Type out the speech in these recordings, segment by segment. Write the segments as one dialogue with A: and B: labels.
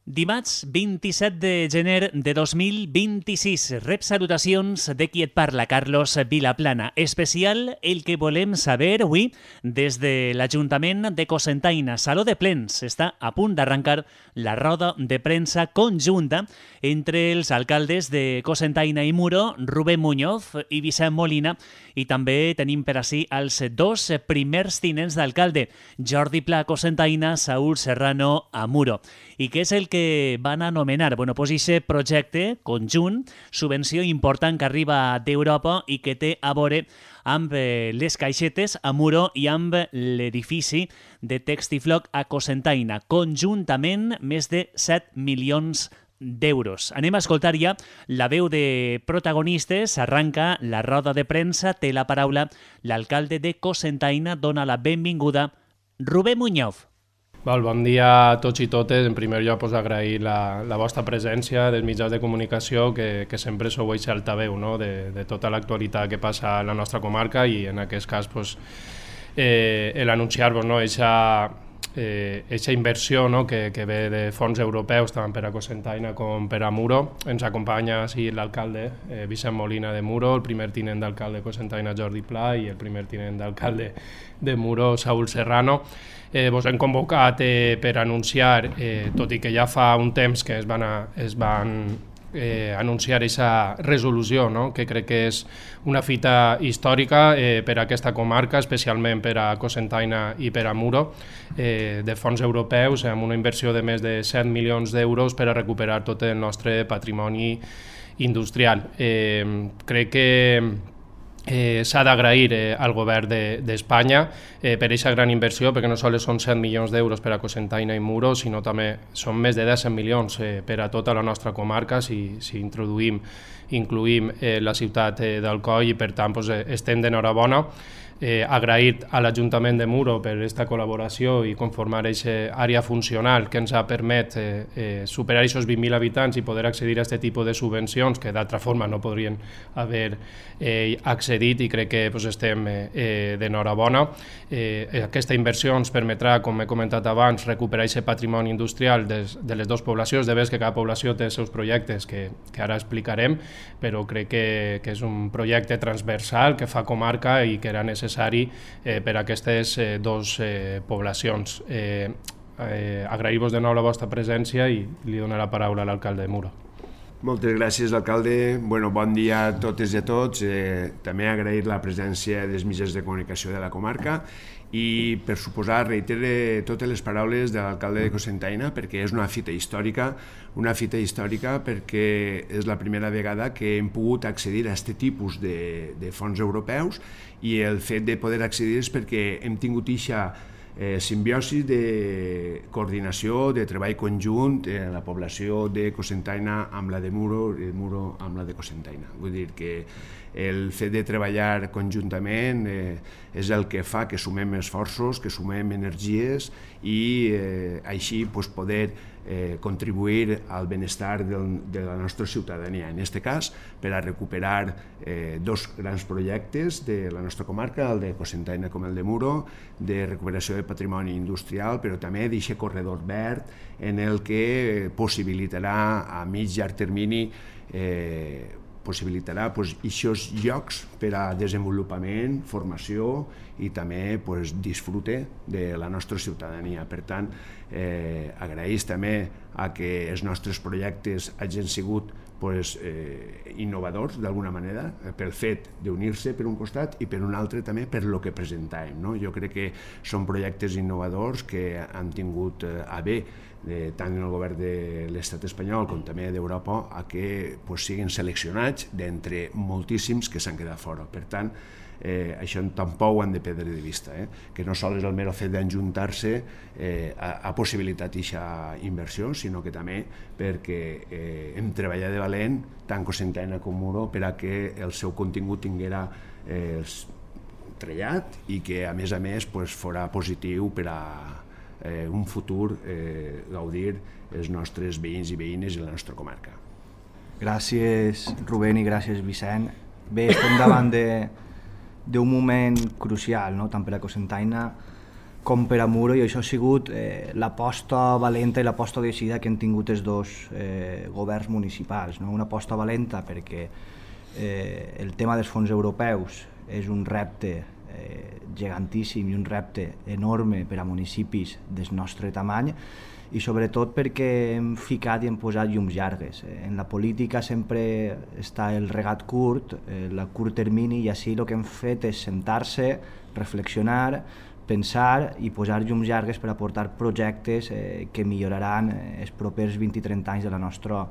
A: Dimarts 27 de gener de 2026. Rep salutacions de qui et parla, Carlos Vilaplana. Especial el que volem saber avui des de l'Ajuntament de Cocentaina. Saló de Plens. Està a punt d'arrencar la roda de premsa conjunta entre els alcaldes de Cocentaina i Muro, Rubén Muñoz i Vicent Molina, i també tenim per ací els dos primers tinents d'alcalde, Jordi Pla a Cocentaina, Saúl Serrano a Muro. I què és el que van anomenar? Bueno, pues aquest projecte conjunt, subvenció important que arriba d'Europa i que té a veure amb les caixetes a Muro i amb l'edifici de Textifloc a Cocentaina. Conjuntament, més de 7 milions d'euros. Anem a escoltar ja la veu de protagonistes. Arranca la roda de premsa, té la paraula l'alcalde de Cocentaina, dona la benvinguda Rubén Muñoz.
B: Bon dia a tots i totes. En primer lloc, agrair la vostra presència dels mitjans de comunicació, que sempre sou aquest altaveu, no? de tota l'actualitat que passa a la nostra comarca, i en aquest cas l'anunciar-vos aquesta inversió, no? que ve de fons europeus tant per a Cocentaina com per a Muro. Ens acompanya l'alcalde Vicent Molina de Muro, el primer tinent d'alcalde de Cocentaina Jordi Pla i el primer tinent d'alcalde de Muro Saúl Serrano. Vos hem convocat per anunciar, tot i que ja fa un temps que es van anunciar aquesta resolució, no? que crec que és una fita històrica per a aquesta comarca, especialment per a Cocentaina i per a Muro, de fons europeus, amb una inversió de més de 7 milions d'euros per a recuperar tot el nostre patrimoni industrial. Crec que s'ha d'agrair al govern d'Espanya per aquesta gran inversió, perquè no sols són 7 milions d'euros per a Cocentaina i Muro, sinó també són més de 10 milions per a tota la nostra comarca si incluïm la ciutat d'Alcoi, i per tant estem d'enhorabona. Agrair a l'Ajuntament de Muro per aquesta col·laboració i conformar aquesta àrea funcional que ens ha permès superar aquests 20.000 habitants i poder accedir a aquest tipus de subvencions que d'altra forma no podrien haver accedit, i crec que estem d'enhorabona. Aquesta inversió ens permetrà, com he comentat abans, recuperar aquest patrimoni industrial de les dues poblacions. De veres que cada població té els seus projectes que ara explicarem, però crec que és un projecte transversal que fa comarca i que era necessari per a aquestes dues poblacions. Agrair-vos de nou la vostra presència i li dono la paraula a l'alcalde de Muro.
C: Moltes gràcies, alcalde. Bon dia a totes i a tots. També agrair la presència dels mitjans de comunicació de la comarca i, per suposar, reitere totes les paraules de l'alcalde de Cocentaina, perquè és una fita històrica perquè és la primera vegada que hem pogut accedir a aquest tipus de fons europeus, i el fet de poder accedir és perquè hem tingut aquesta simbiosi de coordinació, de treball conjunt, la població de Cocentaina amb la de Muro i de Muro amb la de Cocentaina. Vull dir que el fet de treballar conjuntament és el que fa que sumem esforços, que sumem energies i així poder contribuir al benestar de la nostra ciutadania. En aquest cas, per a recuperar dos grans projectes de la nostra comarca, el de Cocentaina com el de Muro, de recuperació de patrimoni industrial, però també d'aquest corredor verd en el que possibilitarà a mig i llarg termini possibilitarà aquests llocs per a desenvolupament, formació i també disfrute de la nostra ciutadania. Per tant, agraeix també a que els nostres projectes hagin sigut innovadors d'alguna manera, pel fet d'unir-se per un costat i per un altre també per lo que presentàvem. Jo crec que són projectes innovadors que han tingut a bé tant en el govern de l'estat espanyol com també d'Europa a que siguin seleccionats d'entre moltíssims que s'han quedat fora. Per tant, això tampoc ho han de perdre de vista, que no sols el mero fet d'enjuntar-se ha possibilitat aquesta inversió, sinó que també perquè hem treballat de valent, tant Cocentaina com Muro, per a que el seu contingut tinguera trellat i que a més fora positiu per a un futur gaudir els nostres veïns i veïnes i la nostra comarca.
D: Gràcies, Rubén, i gràcies, Vicent. Bé, estem davant d'un moment crucial, no? Tant per a Cocentaina com per a Muro, i això ha sigut l'aposta valenta i l'aposta decidida que han tingut els dos governs municipals. No? Una aposta valenta perquè el tema dels fons europeus és un repte gigantíssim i un repte enorme per a municipis del nostre tamany, i sobretot perquè hem ficat i hem posat llums llargues. En la política sempre està el regat curt, el curt termini, i així el que hem fet és sentar-se, reflexionar, pensar i posar llums llargues per aportar projectes que milloraran els propers 20 i 30 anys de la nostra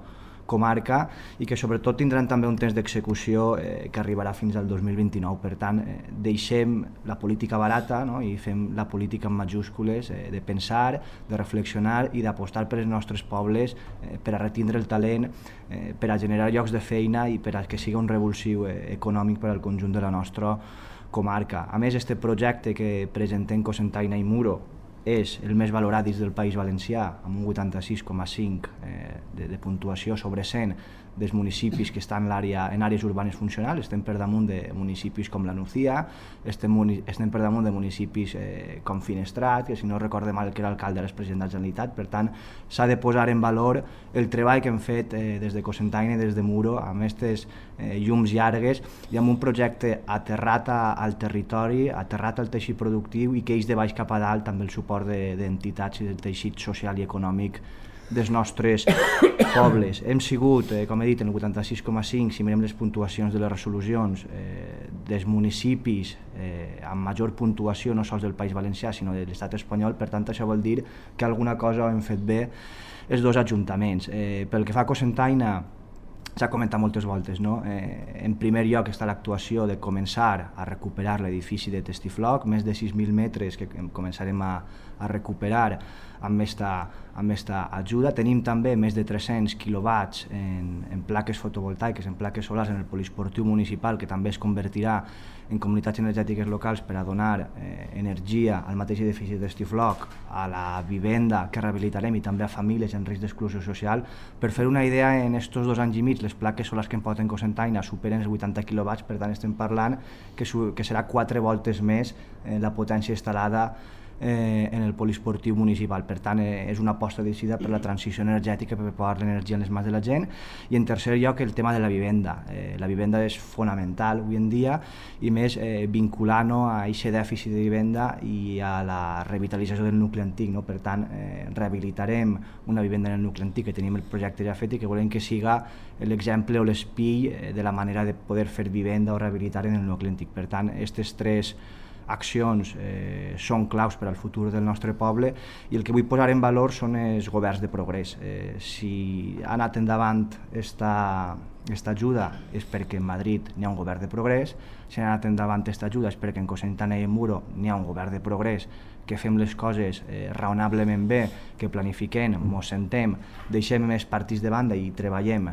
D: comarca i que sobretot tindran també un temps d'execució que arribarà fins al 2029. Per tant, deixem la política barata, no? I fem la política en majúscules, de pensar, de reflexionar i d'apostar per els nostres pobles, per a retindre el talent, per a generar llocs de feina i per a que sigui un revulsiu econòmic per al conjunt de la nostra comarca. A més, este projecte que presentem Cocentaina i Muro és el més valorat dins del País Valencià, amb un 86,5 de puntuació sobre 100 dels municipis que estan en àrees urbanes funcionals. Estem per damunt de municipis com la Nucía, estem per damunt de municipis com Finestrat, que si no recorde mal que era alcalde era el president de la Generalitat. Per tant, s'ha de posar en valor el treball que hem fet des de Cocentaina i des de Muro, amb aquestes llums llargues i amb un projecte aterrat al territori, aterrat al teixit productiu i que eix de baix cap a dalt també el suport d'entitats i del teixit social i econòmic dels nostres pobles. Hem sigut, com he dit, en el 86,5, si mirem les puntuacions de les resolucions dels municipis amb major puntuació no sols del País Valencià sinó de l'estat espanyol. Per tant, això vol dir que alguna cosa hem fet bé els dos ajuntaments. Pel que fa a Cocentaina, s'ha comentat moltes voltes, no? En primer lloc està l'actuació de començar a recuperar l'edifici de Testifloc, més de 6.000 metres que començarem a recuperar amb esta ajuda. Tenim també més de 300 quilowatts en plaques fotovoltaiques, en plaques solars en el poliesportiu municipal, que també es convertirà en comunitats energètiques locals per a donar energia al mateix edifici de Testifloc, a la vivenda que rehabilitarem i també a famílies en risc d'exclusió social. Per fer una idea, en estos 2 anys i mig les plaques solars que em porten Cocentaina superen els 80 quilowatts, per tant estem parlant que serà 4 voltes més la potència instal·lada en el poliesportiu municipal. Per tant, és una aposta decidida per la transició energètica, per posar l'energia en les mans de la gent. I en tercer lloc, el tema de la vivenda. La vivenda és fonamental avui en dia, i més vinculant-ho a aquest dèficit de vivenda i a la revitalització del nucli antic. Per tant, rehabilitarem una vivenda en el nucli antic que tenim el projecte ja fet i que volem que siga l'exemple o l'espill de la manera de poder fer vivenda o rehabilitar en el nucli antic. Per tant, aquestes 3 accions són claus per al futur del nostre poble, i el que vull posar en valor són els governs de progrés. Si ha anat endavant esta ajuda és perquè en Madrid n'hi ha un govern de progrés, si ha anat endavant esta ajuda és perquè en Cocentaina i en Muro n'hi ha un govern de progrés, que fem les coses raonablement bé, que planifiquem, mos sentem, deixem més partits de banda i treballem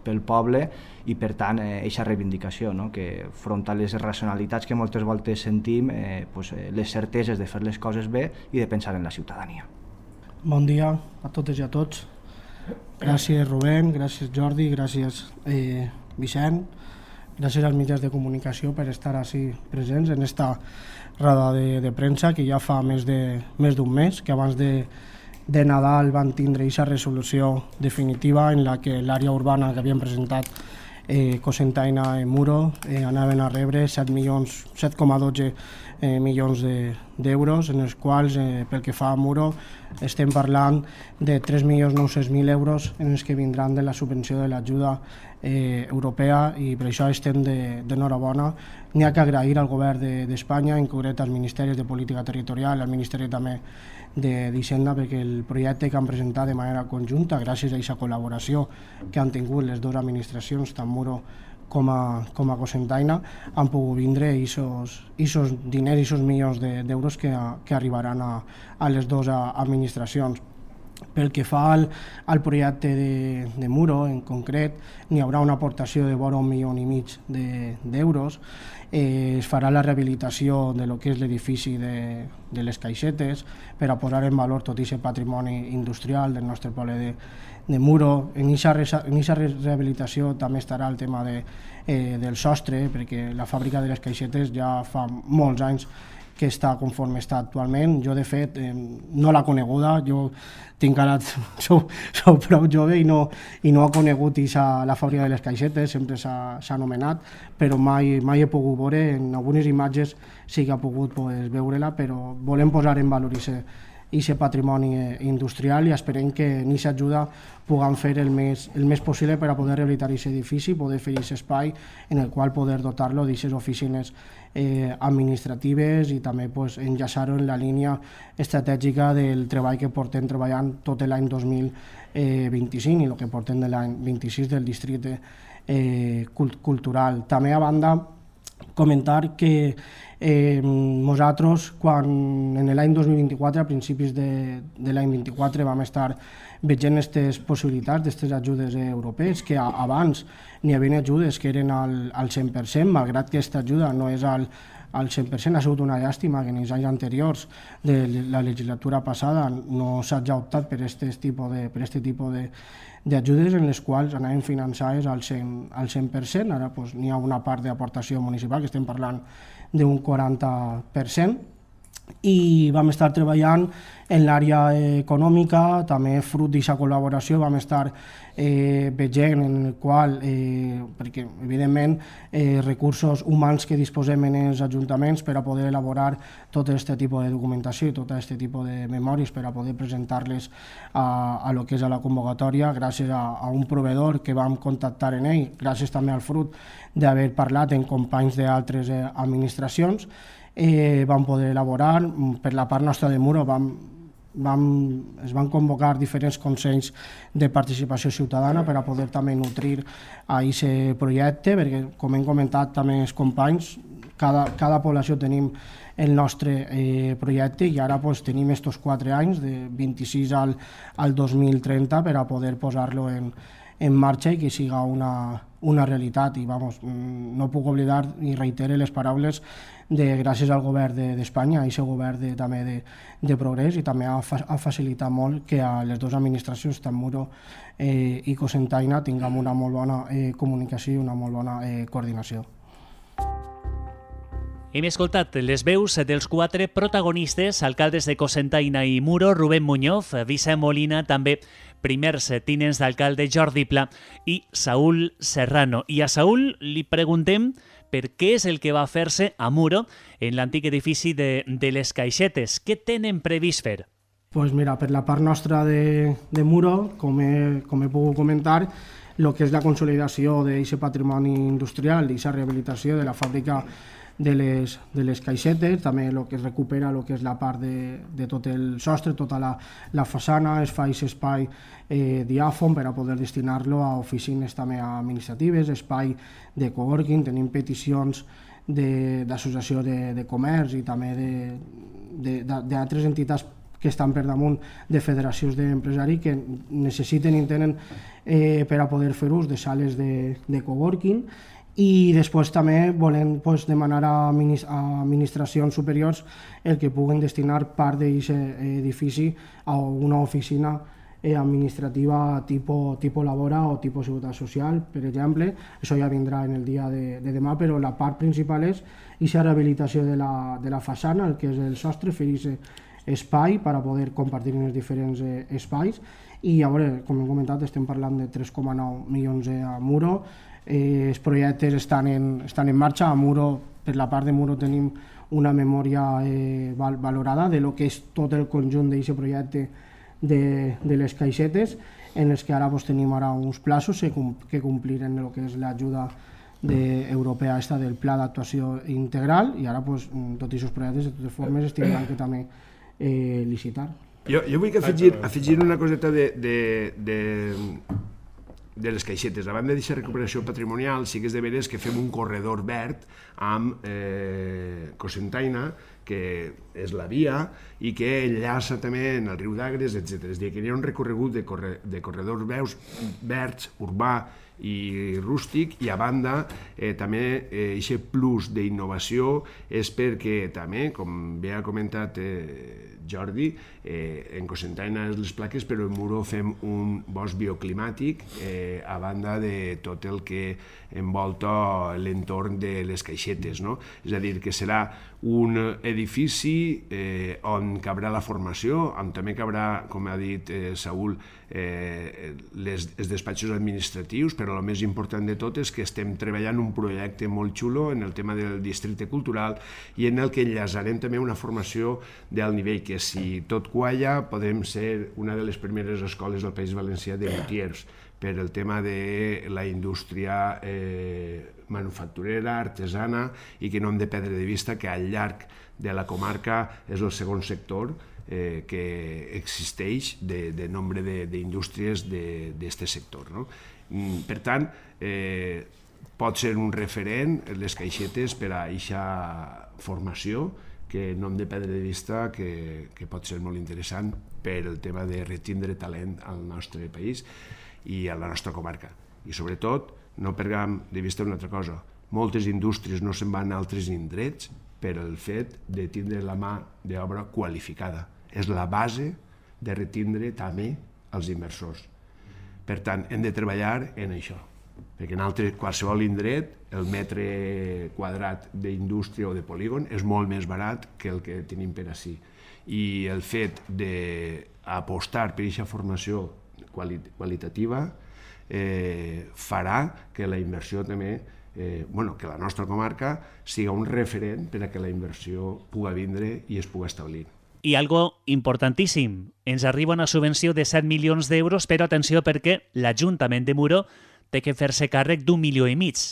D: pel poble, i per tant aquesta reivindicació, no? Que front a les racionalitats que moltes voltes sentim, les certeses de fer les coses bé i de pensar en la ciutadania.
E: Bon dia a totes i a tots. Gràcies Rubén, gràcies Jordi, gràcies Vicent, gràcies als mitjans de comunicació per estar així presents en esta roda de premsa que ja fa més d'un mes, que abans de Nadal van tindre aquesta resolució definitiva en la que l'àrea urbana que havien presentat Cocentaina i Muro anaven a rebre 7,12 milions d'euros, en els quals, pel que fa a Muro, estem parlant de 3.900.000 euros en els que vindran de la subvenció de l'ajuda europea, i per això estem d'enhorabona. N'hi ha que agrair al govern d'Espanya, en concret als ministeris de Política Territorial, al Ministeri també d'Hisenda, perquè el projecte que han presentat de manera conjunta, gràcies a aquesta col·laboració que han tingut les dues administracions, tant Muro com a Cocentaina, han pogut vindre aquests diners, aquests milions d'euros que arribaran a les dues administracions. Pel que fa al projecte de Muro, en concret, n'hi haurà una aportació de vora 1,5 milions d'euros. Es farà la rehabilitació de lo que és l'edifici de les caixetes per a posar en valor tot aquest patrimoni industrial del nostre poble de Muro. En aquesta rehabilitació també estarà el tema del sostre, perquè la fàbrica de les caixetes ja fa molts anys està conforme està actualment. Jo, de fet, no l'ha coneguda, jo sou prou jove i no ha conegut la fàbrica de les caixetes, sempre s'ha anomenat, però mai he pogut veure, en algunes imatges sí que ha pogut veure-la, però volem posar en valor aquest patrimoni industrial i esperem que en aquesta ajuda puguem fer el més possible per a poder rehabilitar aquest edifici, poder fer aquest espai en el qual poder dotar-lo d'aquestes oficines administratives i també enllaçar-ho en la línia estratègica del treball que portem treballant tot l'any 2025 i el que portem de l'any 26 del districte cultural. També, a banda, comentar que nosaltres, quan en l'any 2024, a principis de l'any 24, vam estar veient aquestes possibilitats d'aquestes ajudes europees, que abans n'hi havia ajudes que eren al 100%, malgrat que aquesta ajuda no és al 100%, ha sigut una llàstima que en els anys anteriors de la legislatura passada no s'hagi optat per aquest tipus d'ajudes en les quals anaven finançades al 100%. Ara n'hi ha una part d'aportació municipal, que estem parlant d'un 40%, i vam estar treballant en l'àrea econòmica, també fruit d'aquesta col·laboració vam estar veient en el qual, perquè evidentment recursos humans que disposem en els ajuntaments per a poder elaborar tot aquest tipus de documentació i tot aquest tipus de memòries per a poder presentar-les a lo que és a la convocatòria, gràcies a un proveïdor que vam contactar en ell, gràcies també al fruit d'haver parlat amb companys d'altres administracions, vam poder elaborar. Per la part nostra de Muro es van convocar diferents consells de participació ciutadana per a poder també nutrir a aquest projecte, perquè, com hem comentat també els companys, cada població tenim el nostre projecte i ara tenim aquests 4 anys, de 26 al 2030, per a poder posar-lo en marxa i que siga una realitat. I no puc oblidar i reiterar les paraules gràcies al govern d'Espanya, a aquest govern també de progrés, i també ha facilitat molt que a les dues administracions, tant Muro i Cocentaina, tinguem una molt bona comunicació i una molt bona coordinació.
A: Hem escoltat les veus dels 4 protagonistes, alcaldes de Cocentaina i Muro, Rubén Muñoz, Vicent Molina, també primers tinents d'alcalde Jordi Pla i Saúl Serrano. I a Saúl li preguntem per què és el que va fer-se a Muro, en l'antic edifici de les Caixetes. Què tenen previst fer?
E: Pues mira, per la part nostra de Muro, com he pogut comentar, el que és la consolidació d'aquest patrimoni industrial, d'aquesta rehabilitació de la fàbrica de les caixetes, també el que es recupera el que és la part de tot el sostre, tota la façana, es fa aquest espai diàfon per a poder destinar-lo a oficines també administratives, espai de coworking. Tenim peticions d'associació de comerç i també d'altres entitats que estan per damunt de federacions d'empresaris que necessiten i tenen per a poder fer ús de sales de coworking. I després també volem demanar a administracions superiors el que puguen destinar part d'aquest edifici a una oficina administrativa tipus Labora o tipus Seguretat Social, per exemple. Això ja vindrà en el dia de demà, però la part principal és aquesta rehabilitació de la façana, el que és el sostre, fer aquest espai per a poder compartir en els diferents espais. I a veure, com hem comentat, estem parlant de 3,9 milions a Muro. Els projectes estan en marxa. A Muro, per la part de Muro, tenim una memòria valorada de lo que és tot el conjunt d'aquest projecte de les caixetes, en els que ara tenim uns plaços que complir en el que és l'ajuda europea del Pla d'Actuació Integral, i ara tots aquests projectes de totes formes es tindran que també licitar.
C: Jo vull afegir una coseta de les caixetes. A banda d'aquesta recuperació patrimonial, sí que és de veres que fem un corredor verd amb Cocentaina, que és la via, i que enllaça també en el riu d'Agres, etc. És a dir, que hi ha un recorregut de corredors verds, urbà i rústic, i a banda també aquest plus d'innovació és perquè també, com bé ha comentat Jordi, en Cocentaina les plaques, però en Muro fem un bosc bioclimàtic a banda de tot el que envolta l'entorn de les caixetes, no? És a dir, que serà un edifici on cabrà la formació, on també cabrà, com ha dit Saúl, els despatxos administratius, però el més important de tot és que estem treballant un projecte molt xulo en el tema del districte cultural i en el que enllaçarem també una formació d'alt nivell, que si tot qualla podem ser una de les primeres escoles del País Valencià de lutiers per el tema de la indústria manufacturera, artesana, i que no hem de perdre de vista que al llarg de la comarca és el segon sector que existeix de nombre d'indústries d'aquest sector, no? Per tant, pot ser un referent les caixetes per a aquesta formació que no hem de perdre de vista que pot ser molt interessant per el tema de retindre talent al nostre país i a la nostra comarca. I sobretot, no perdem de vista una altra cosa, moltes indústries no se'n van a altres indrets per el fet de tindre la mà d'obra qualificada. És la base de retindre també els inversors. Per tant, hem de treballar en això, perquè en qualsevol indret el metre quadrat d'indústria o de polígon és molt més barat que el que tenim per ací. I el fet d'apostar per aquesta formació qualitativa farà que la inversió també, que la nostra comarca siga un referent per a que la inversió pugui vindre i es pugui establir.
A: I algo importantíssim, ens arriba una subvenció de 7 milions d'euros, però atenció perquè l'Ajuntament de Muro té que fer-se càrrec d'1,5 milions.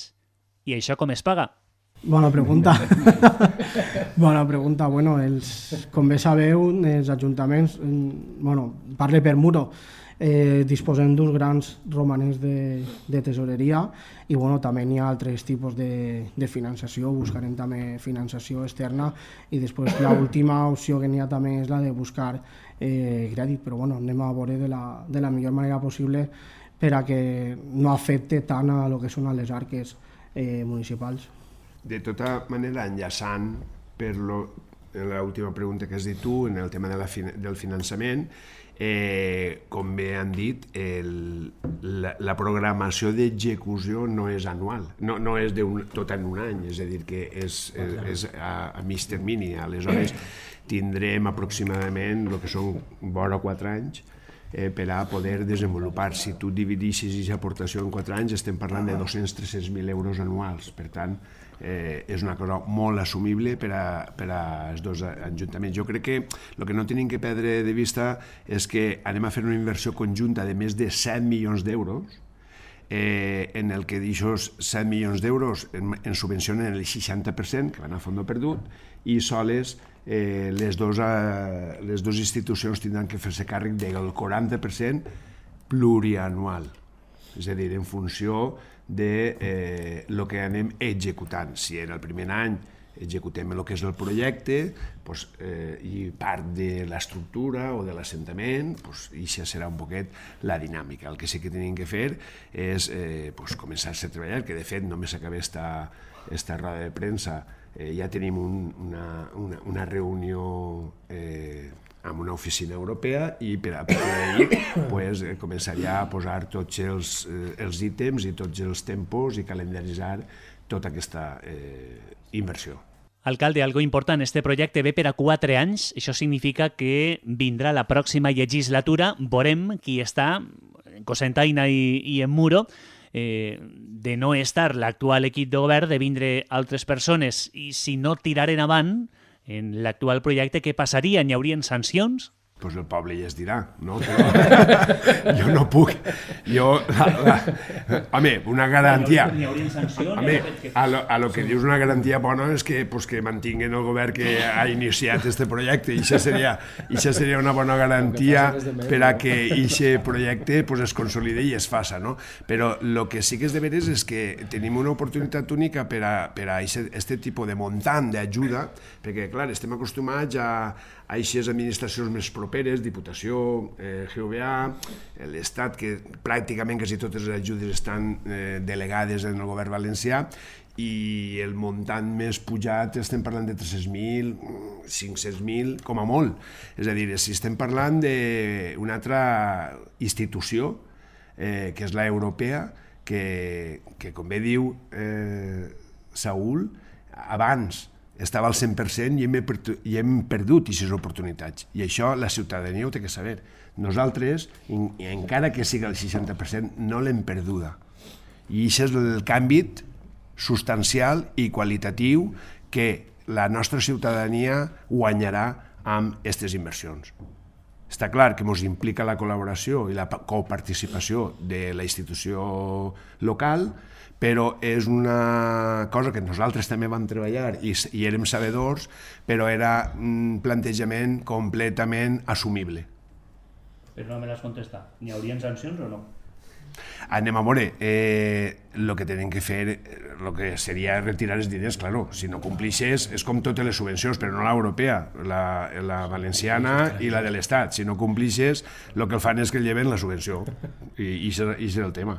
A: I això com es paga?
E: Bona pregunta. Bona pregunta. Bueno, com bé sabeu, els ajuntaments, parle per Muro, disposem d'uns grans romanents de tesoreria i també hi ha altres tipus de finançació, buscarem també finançació externa i després l'última opció que n'hi ha també és la de buscar crèdit, però anem a veure de la millor manera possible per a que no afecte tant a lo que són les arques municipals.
C: De tota manera, enllaçant per l'última pregunta que has dit tu, en el tema del finançament, com bé han dit, la programació d'execució no és anual, no és tot en un any, és a dir, que és a mig termini. Aleshores, tindrem aproximadament el que són vora 4 anys per a poder desenvolupar. Si tu dividixes aquesta aportació en 4 anys, estem parlant de 200-300.000 euros anuals. Per tant, és una cosa molt assumible per als dos ajuntaments. Jo crec que el que no tenim que perdre de vista és que anem a fer una inversió conjunta de més de 7 milions d'euros, en el que d'aixòs 7 milions d'euros ens subvencionen el 60%, que van a fons perdut, i soles les dues institucions tindran que fer-se càrrec del 40% plurianual, és a dir, en funció de lo que anem executant. Si en el primer any executem el que és el projecte i part de l'estructura o de l'assentament, això serà un poquet la dinàmica. El que sí que tenim que fer és començar-se a treballar, que de fet només s'acaba esta roda de premsa, ja tenim una reunió amb una oficina europea i per a d'ahir començaria a posar tots els ítems i tots els tempos i calendaritzar tota aquesta inversió.
A: Alcalde, algo important, este projecte ve per a 4 anys, això significa que vindrà la pròxima legislatura, veurem qui està en Cocentaina i en Muro, de no estar l'actual equip de govern, de vindre altres persones, i si no tiraren avant en l'actual projecte, què passaria? Hi haurien sancions?
C: Doncs el poble ja es dirà, no? Però jo no puc. Home, una garantia... Home, a lo que dius una garantia bona és que mantinguen el govern que ha iniciat aquest projecte, i això seria una bona garantia per a que aquest projecte es consolide i es faça, no? Però el que sí que és de veres és que tenim una oportunitat única per a aquest tipus de muntant d'ajuda, perquè, clar, estem acostumats a aquestes administracions més properes, properes, Diputació, GVA, l'Estat, que pràcticament quasi totes les ajudes estan delegades en el govern valencià, i el muntant més pujat estem parlant de 300.000, 500.000, com a molt. És a dir, si estem parlant d'una altra institució, que és l'europea, que com bé diu Saúl, abans estava al 100% i hem perdut aquestes oportunitats. I això la ciutadania ho té que saber. Nosaltres, encara que sigui el 60%, no l'hem perduda. I això és el canvi substancial i qualitatiu que la nostra ciutadania guanyarà amb aquestes inversions. Està clar que ens implica la col·laboració i la coparticipació de la institució local, però és una cosa que nosaltres també vam treballar i érem sabedors, però era un plantejament completament assumible.
A: Però no me l'has contestat. N'hi haurien sancions o no?
C: Anem a veure, el que tenen que fer, el que seria retirar els diners, claro, si no complixes, és com totes les subvencions, però no l'europea, la valenciana i la de l'Estat. Si no complixes, el que el fan és que lleven la subvenció, i és el tema.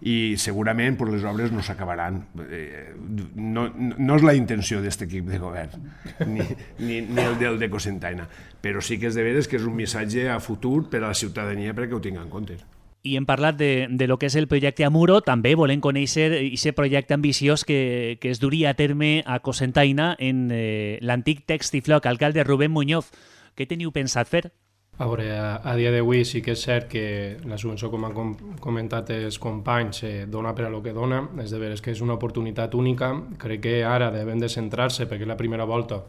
C: I segurament les obres no s'acabaran. No és la intenció d'aquest equip de govern, ni el del de Cocentaina, però sí que és de veres que és un missatge a futur per a la ciutadania perquè ho tingui en compte.
A: I hem parlat de lo que és el projecte Amuro, també volem conèixer aquest projecte ambiciós que es duria a terme a Cocentaina en l'antic Textifloc. Alcalde Rubén Muñoz, què teniu pensat fer?
B: A veure, a dia d'avui sí que és cert que la subvenció, com han comentat els companys, dona per a lo que dona, és de veres que és una oportunitat única. Crec que ara devem de centrar-se, perquè la primera volta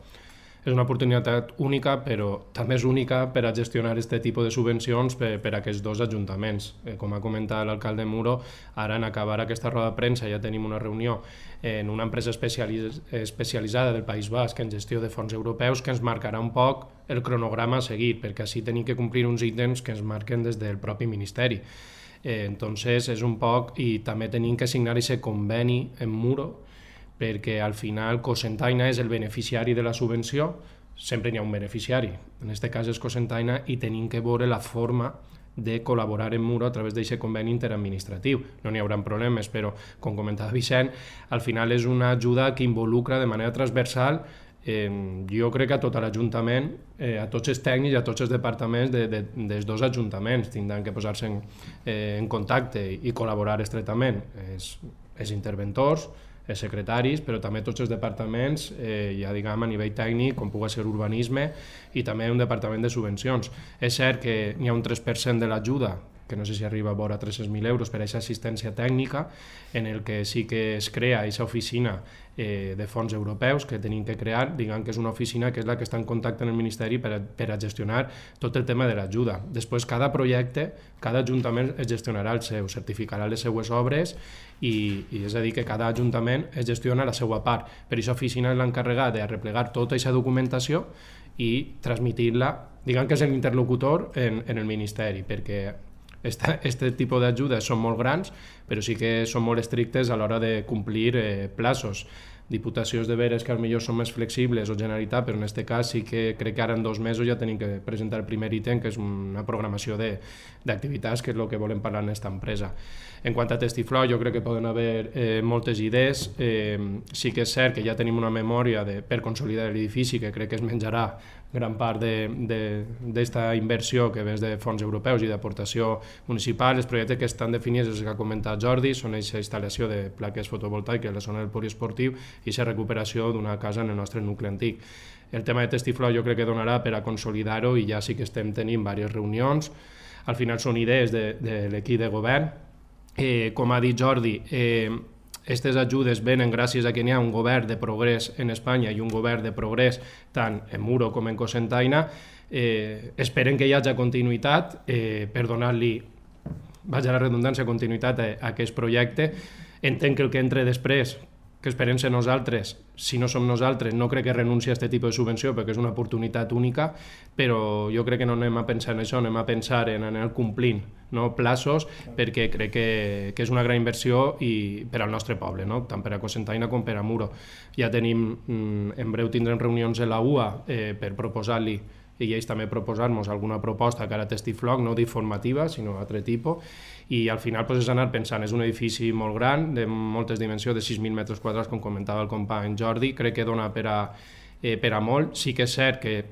B: és una oportunitat única, però també és única per a gestionar aquest tipus de subvencions per a aquests dos ajuntaments. Com ha comentat l'alcalde Muro, ara en acabar aquesta roda de premsa ja tenim una reunió en una empresa especialitzada del País Basc en gestió de fons europeus que ens marcarà un poc el cronograma a seguir, perquè així tenim que complir uns ítems que ens marquen des del propi Ministeri. Entonces és un poc, i també tenim que signar aquest conveni en Muro, perquè al final Cocentaina és el beneficiari de la subvenció, sempre n'hi ha un beneficiari, en aquest cas és Cocentaina, i tenim que veure la forma de col·laborar en Muro a través d'aquest conveni interadministratiu. No n'hi haurà problemes, però, com comentava Vicent, al final és una ajuda que involucra de manera transversal, jo crec que a tot l'Ajuntament, a tots els tècnics i a tots els departaments dels dos ajuntaments tindran que posar-se en contacte i col·laborar estretament. Els interventors, els secretaris, però també tots els departaments, ja diguem a nivell tècnic, com pugui ser urbanisme, i també un departament de subvencions. És cert que n'hi ha un 3% de l'ajuda, que no sé si arriba a vora 300.000 euros per a aquesta assistència tècnica, en el que sí que es crea aquesta oficina de fons europeus que tenim que crear, diguem que és una oficina que és la que està en contacte amb el Ministeri per a gestionar tot el tema de l'ajuda. Després, cada projecte, cada ajuntament es gestionarà el seu, certificarà les seues obres, i és a dir, que cada ajuntament es gestiona la seva part. Per aquesta oficina és l'encarregat de replegar tota aquesta documentació i transmitir-la, diguem que és l'interlocutor en el Ministeri, perquè aquest tipus d'ajudes són molt grans, però sí que són molt estrictes a l'hora de complir plaços. Diputacions de veres que potser són més flexibles, o Generalitat, però en aquest cas sí que crec que ara en 2 mesos ja tenim que presentar el primer ítem, que és una programació d'activitats, que és el que volem parlar en aquesta empresa. En quant a Textifloc, jo crec que poden haver moltes idees. Sí que és cert que ja tenim una memòria per consolidar l'edifici, que crec que es menjarà gran part d'esta inversió que ve de fons europeus i d'aportació municipal. Els projectes que estan definits, els que ha comentat Jordi, són aquesta instal·lació de plaques fotovoltaiques a la zona del poliesportiu i la recuperació d'una casa en el nostre nucli antic. El tema de Textifloc jo crec que donarà per a consolidar-ho, i ja sí que estem tenint diverses reunions. Al final són idees de l'equip de govern. Com ha dit Jordi, aquestes ajudes venen gràcies a que hi ha un govern de progrés en Espanya i un govern de progrés tant en Muro com en Cocentaina. Esperem que hi hagi continuïtat per donar-li, vaja la redundància, continuïtat a aquest projecte. Entenc que el que entre després, que esperem ser nosaltres, si no som nosaltres, no crec que renunci a aquest tipus de subvenció perquè és una oportunitat única, però jo crec que no anem a pensar en això, anem a pensar en anar complint plaços, perquè crec que és una gran inversió per al nostre poble, tant per a Cocentaina com per a Muro. Ja tenim, en breu tindrem reunions a la UA per proposar-li i ells també proposar-nos alguna proposta que ara testifloc, no d'informativa, sinó altre tipus, i al final és anar pensant, és un edifici molt gran, de moltes dimensions, de 6.000 metres quadrats, com comentava el company Jordi, crec que dona per a molt. Sí que és cert que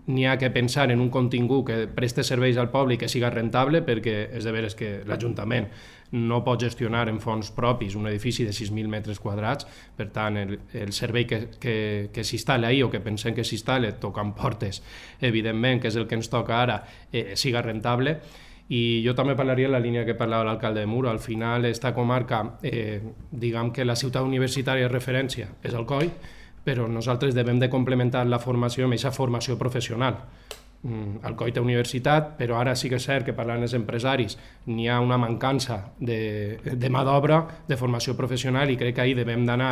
B: n'hi ha que pensar en un contingut que preste serveis al poble i que siga rentable, perquè és de veres que l'Ajuntament no pot gestionar en fons propis un edifici de 6.000 metres quadrats, per tant el servei que s'instal·la ahir o que pensem que s'instal·la tocant portes, evidentment, que és el que ens toca ara, siga rentable. I jo també parlaria en la línia que parlava l'alcalde de Muro. Al final, esta comarca, diguem que la ciutat universitària de referència és Alcoi, però nosaltres devem de complementar la formació amb aquesta formació professional. Alcoi té universitat, però ara sí que és cert que parlant els empresaris n'hi ha una mancança de mà d'obra, de formació professional, i crec que ahir devem d'anar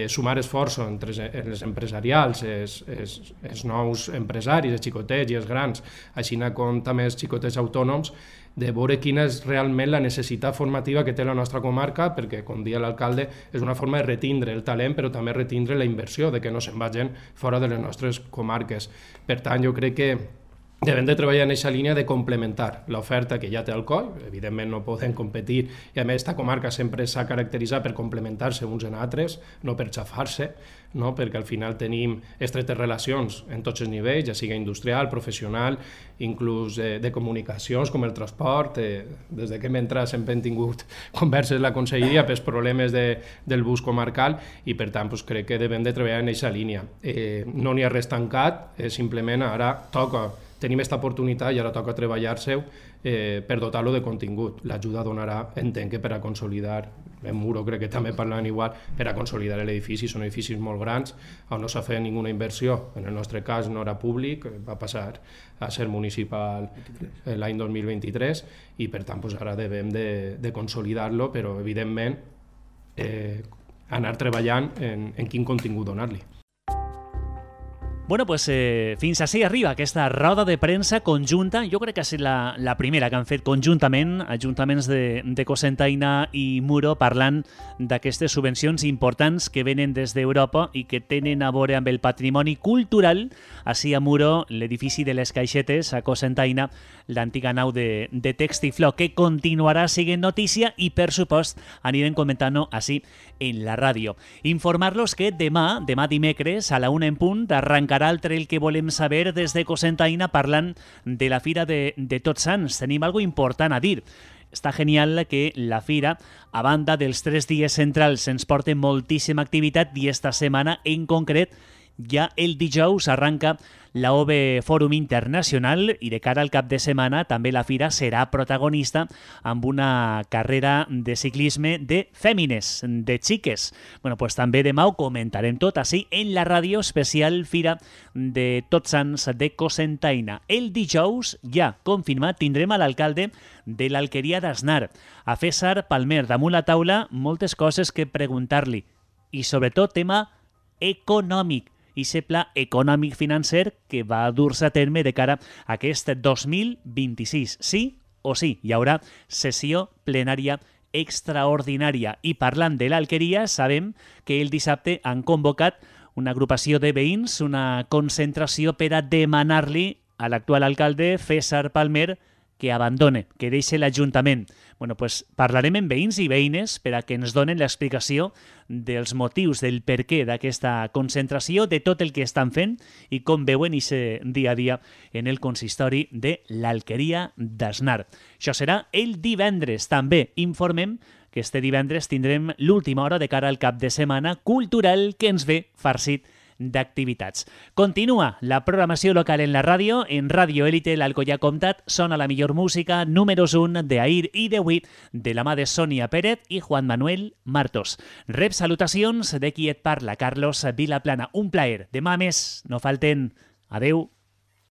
B: sumar esforços entre els empresarials, els nous empresaris, els xicotets i els grans, així com també els xicotets autònoms, de veure quina és realment la necessitat formativa que té la nostra comarca, perquè, com deia l'alcalde, és una forma de retindre el talent, però també retindre la inversió, de que no se'n vagin fora de les nostres comarques. Per tant, jo crec que devem de treballar en aquesta línia de complementar l'oferta que ja té Alcoi. Evidentment no podem competir, i a més esta comarca sempre s'ha caracteritzat per complementar-se uns en altres, no per xafar-se, no? Perquè al final tenim estretes relacions en tots els nivells, ja sigui industrial, professional, inclús de comunicacions com el transport. Des que hem entrat sempre hem tingut converses a la conselleria pels problemes del bus comarcal, i per tant crec que devem de treballar en aquesta línia. No n'hi ha res tancat, simplement ara tenim aquesta oportunitat i ara toca treballar-se per dotar-lo de contingut. L'ajuda donarà, entenc que per a consolidar, en Muro crec que també parlant igual, per a consolidar l'edifici. Són edificis molt grans, on no s'ha fet ninguna inversió. En el nostre cas no era públic, va passar a ser municipal l'any 2023, i per tant ara devem de consolidar-lo, però evidentment anar treballant en quin contingut donar-li.
A: Bueno, pues fins així arriba aquesta roda de premsa conjunta. Jo crec que ha estat la primera que han fet conjuntament ajuntaments de Cocentaina i Muro, parlant d'aquestes subvencions importants que venen des d'Europa i que tenen a veure amb el patrimoni cultural. Així a Muro, l'edifici de les Caixetes, a Cocentaina, l'antiga nau de Textiflo, que continuarà sent notícia i, per supost, anirem comentant-ho així en la ràdio. Informar-los que demà dimecres, a la 1 en punt, arrencarà el trail que volem saber des de Cocentaina, parlant de la Fira de Tots Sants. Tenim algo important a dir. Està genial que la Fira, a banda dels 3 dies centrals, ens porta moltíssima activitat, i esta setmana en concret ja el dijous arranca la OVE Fòrum Internacional, i de cara al cap de setmana també la Fira serà protagonista amb una carrera de ciclisme de fèmines, de xiques. Bueno, pues també demà ho comentarem tot així en la ràdio especial Fira de Tots Sants de Cocentaina. El dijous, ja confirmat, tindrem a l'alcalde de l'Alqueria d'Asnar, a César Palmer, damunt la taula moltes coses que preguntar-li, i sobretot tema econòmic, i aquest pla econòmic financer que va dur-se a terme de cara a aquest 2026. Sí o sí, hi haurà sessió plenària extraordinària. I parlant de l'Alqueria, sabem que el dissabte han convocat una agrupació de veïns, una concentració per a demanar-li a l'actual alcalde César Palmer que abandone, que deixi l'Ajuntament. Bueno, pues parlarem amb veïns i veïnes per a que ens donen l'explicació dels motius, del perquè d'aquesta concentració, de tot el que estan fent i com veuen aquest dia a dia en el consistori de l'Alqueria d'Asnar. Això serà el divendres. També informem que este divendres tindrem l'última hora de cara al cap de setmana cultural que ens ve farcit d'activitats. Continua la programació local en la ràdio. En Ràdio Élite, l'Alcoià Comtat, sona la millor música, números 1 d'ahir i d'avui, de la mà de Sònia Pérez i Juan Manuel Martos. Rep salutacions de qui et parla, Carlos Vilaplana. Un plaer. Demà més, no falten. Adeu.